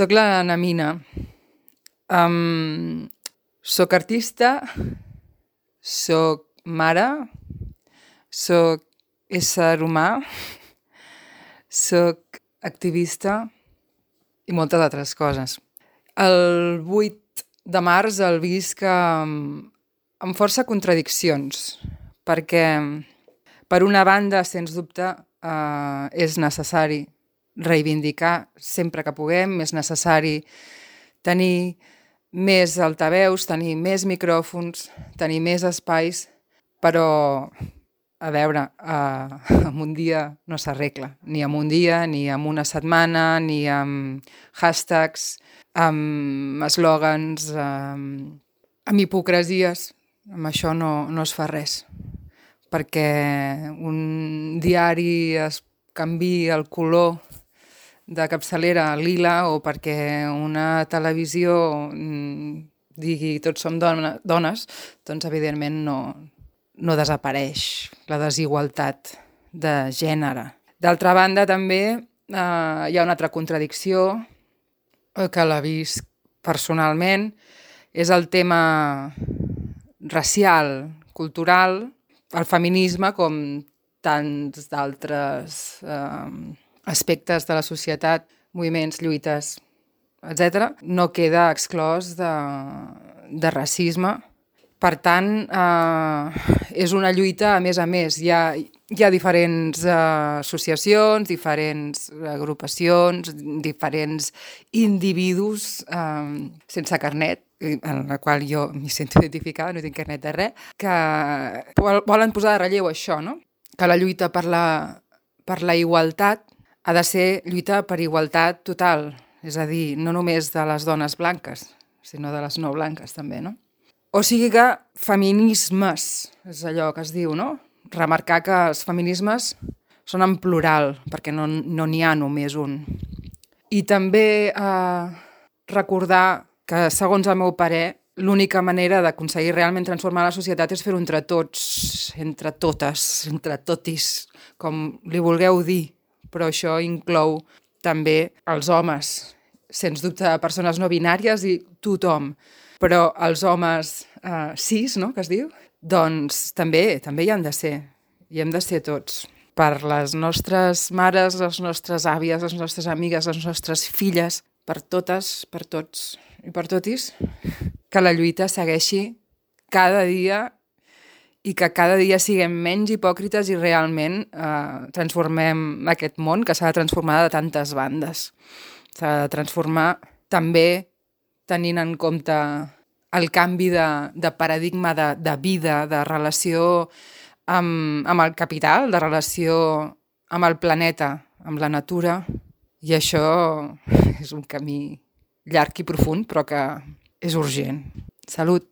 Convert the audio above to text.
Soc la Namina. Soc artista, soc mare, soc ésser humà, soc activista i moltes altres coses. El 8 de març el visc amb força contradiccions, perquè per una banda, sens dubte, és necessari reivindicar sempre que puguem, és necessari tenir més altaveus, tenir més micròfons, tenir més espais, però, a veure, en un dia no s'arregla, ni en un dia, ni en una setmana, ni amb hashtags, amb eslògans, amb hipocresies. Amb això no es fa res, perquè un diari es canvia el color de capçalera a lila o perquè una televisió digui tots som dones, doncs evidentment no desapareix la desigualtat de gènere. D'altra banda també hi ha una altra contradicció que la visc personalment, és el tema racial, cultural, el feminisme com tants d'altres aspectes de la societat, moviments, lluites, etc., no queda exclòs de racisme. Per tant, és una lluita a més. Hi ha diferents associacions, diferents agrupacions, diferents individus sense carnet, en la qual jo m'hi sento identificada, no tinc carnet de res, que volen posar de relleu això, no? Que la lluita per la igualtat ha de ser lluita per igualtat total, és a dir, no només de les dones blanques, sinó de les no blanques també, no? O sigui que feminismes, és allò que es diu, no? Remarcar que els feminismes són en plural, perquè no n'hi ha només un. I també recordar que, segons el meu parer, l'única manera d'aconseguir realment transformar la societat és fer-ho entre tots, entre totes, entre totis, com li vulgueu dir. Però això inclou també els homes, sens dubte persones no binàries i tothom. Però els homes cis, no?, que es diu, doncs també hi han de ser. Hi hem de ser tots. Per les nostres mares, les nostres àvies, les nostres amigues, les nostres filles, per totes, per tots i per totis, que la lluita segueixi cada dia i que cada dia siguem menys hipòcrites i realment transformem aquest món que s'ha de transformar de tantes bandes. S'ha de transformar també tenint en compte el canvi de paradigma de vida, de relació amb el capital, de relació amb el planeta, amb la natura. I això és un camí llarg i profund, però que és urgent. Salut!